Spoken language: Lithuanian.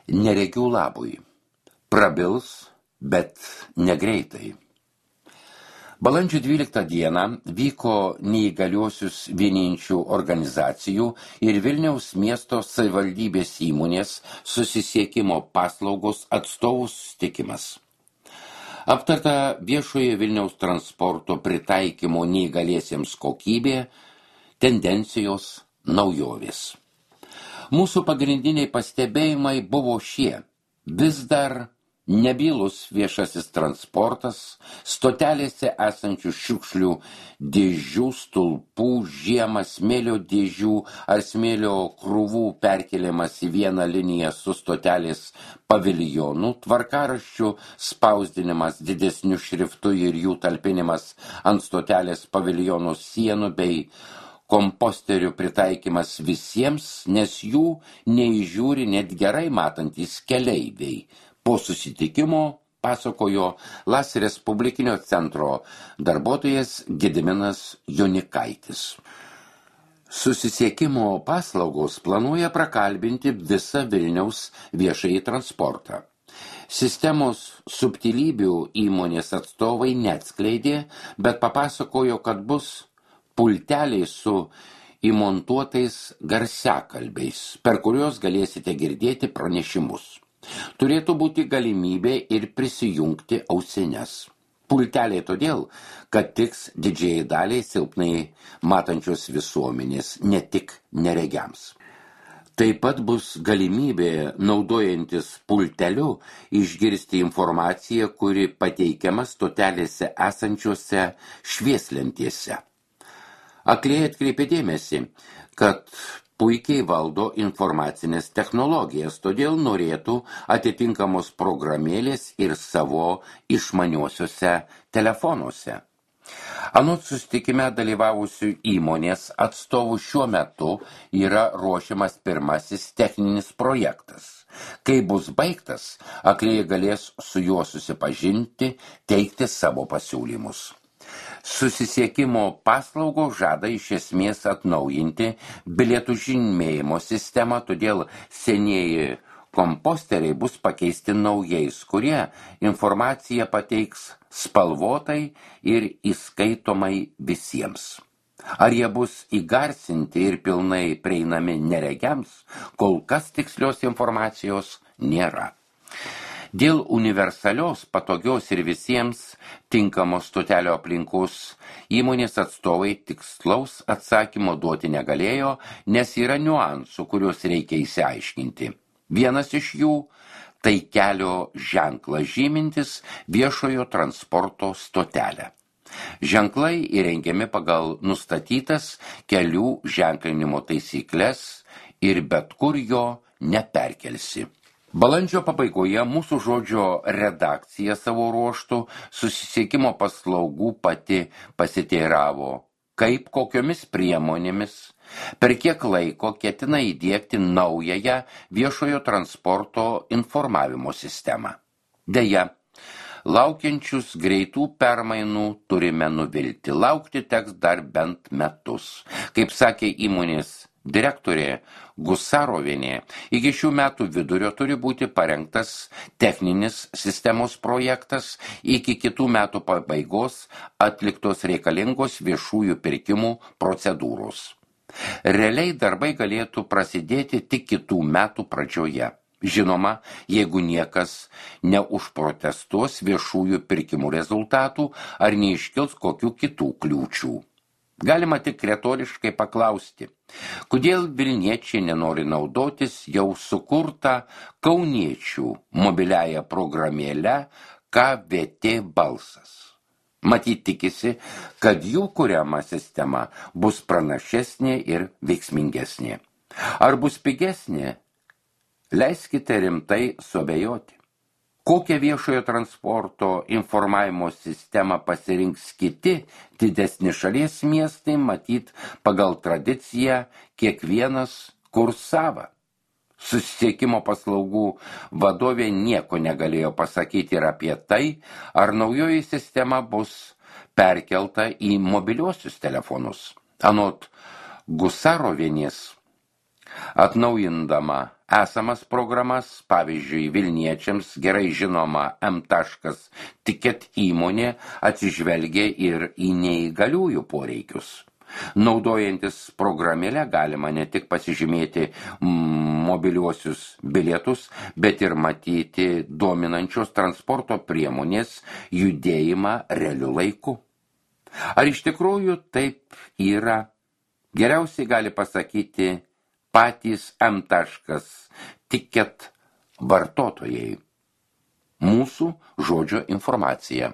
Neregių labui. Prabils, bet negreitai. Balandžio 12 dieną vyko neįgaliuosius vieninčių organizacijų ir Vilniaus miesto savivaldybės įmonės susisiekimo paslaugos atstovų susitikimas. Aptarta viešoje Vilniaus transporto pritaikymo neįgaliesiems kokybė, tendencijos, naujovės. Mūsų pagrindiniai pastebėjimai buvo šie. Vis dar nebylus viešasis transportas, stotelėse esančių šiukšlių dėžių, stulpų, žiemą smėlio dėžių ar smėlio krūvų perkeliamas į vieną liniją su stotelės paviljonu, tvarkaraščių spausdinimas didesniu šriftu ir jų talpinimas ant stotelės paviljono sienų bei komposterių pritaikymas visiems, nes jų neįžiūri net gerai matantys keleiviai. Po susitikimo pasakojo LAS Respublikinio centro darbuotojas Gediminas Jonikaitis. Susisiekimo paslaugos planuoja prakalbinti visą Vilniaus viešąjį transportą. Sistemos subtilybių įmonės atstovai neatskleidė, bet papasakojo, kad bus pulteliai su įmontuotais garsiakalbiais, per kuriuos galėsite girdėti pranešimus. Turėtų būti galimybė ir prisijungti ausines. Pulteliai todėl, kad tiks didžiai daliai silpnai matančios visuomenės, ne tik neregiams. Taip pat bus galimybė, naudojantis pulteliu, išgirsti informaciją, kuri pateikiama stotelėse esančiose švieslentėse. Akliai atkreipė dėmesį, kad puikiai valdo informacinės technologijas, todėl norėtų atitinkamos programėlės ir savo išmaniuosiuose telefonuose. Anot susitikime dalyvavusių įmonės atstovų šiuo metu yra ruošiamas pirmasis techninis projektas. Kai bus baigtas, akliai galės su juo susipažinti, teikti savo pasiūlymus. Susisiekimo paslaugos žada iš esmės atnaujinti bilietų žymėjimo sistemą, todėl senieji komposteriai bus pakeisti naujais, kurie informaciją pateiks spalvotai ir įskaitomai visiems. Ar jie bus įgarsinti ir pilnai prieinami neregiams, kol kas tikslios informacijos nėra. Dėl universalios, patogios ir visiems tinkamos stotelio aplinkos įmonės atstovai tikslaus atsakymo duoti negalėjo, nes yra niuansų, kuriuos reikia išsiaiškinti. Vienas iš jų – tai kelio ženklas žymintis viešojo transporto stotelę. Ženklai įrengiami pagal nustatytas kelių ženklinimo taisykles ir bet kur jo neperkelsi. Balandžio pabaigoje mūsų žodžio redakcija savo ruožtų susisiekimo paslaugų pati pasiteiravo, kaip kokiomis priemonėmis, per kiek laiko ketina įdiegti naująją viešojo transporto informavimo sistemą. Deja, laukiančius greitų permainų turime nuvilti. Laukti teks dar bent metus. Kaip sakė įmonės direktorė Gusarovienė, iki šių metų vidurio turi būti parengtas techninis sistemos projektas, iki kitų metų pabaigos atliktos reikalingos viešųjų pirkimų procedūros. Realiai darbai galėtų prasidėti tik kitų metų pradžioje. Žinoma, jeigu niekas neužprotestuos viešųjų pirkimų rezultatų ar neiškils kokių kitų kliūčių. Galima tik retoriškai paklausti, kodėl vilniečiai nenori naudotis jau sukurtą kauniečių mobiliąją programėlę KVT balsas. Matyt tikisi, kad jų kuriama sistema bus pranašesnė ir veiksmingesnė. Ar bus pigesnė? Leiskite rimtai suabejoti. Kokią viešojo transporto informavimo sistemą pasirinks kiti didesni šalies miestai, matyt, pagal tradiciją kiekvienas kurs savą. Susisiekimo paslaugų vadovė nieko negalėjo pasakyti ir apie tai, ar naujoji sistema bus perkelta į mobiliuosius telefonus. Anot Gusarovienės, Atnaujindama esamas programas, pavyzdžiui, Vilniečiams gerai žinoma M.Ticket įmonė atsižvelgia ir į neįgaliųjų poreikius. Naudojantis programėlę galima ne tik pasižymėti mobiliuosius bilietus, bet ir matyti dominančios transporto priemonės judėjimą realiu laiku. Ar iš tikrųjų taip yra? Geriausiai gali pasakyti patys M.Ticket vartotojai. Mūsų žodžio informacija.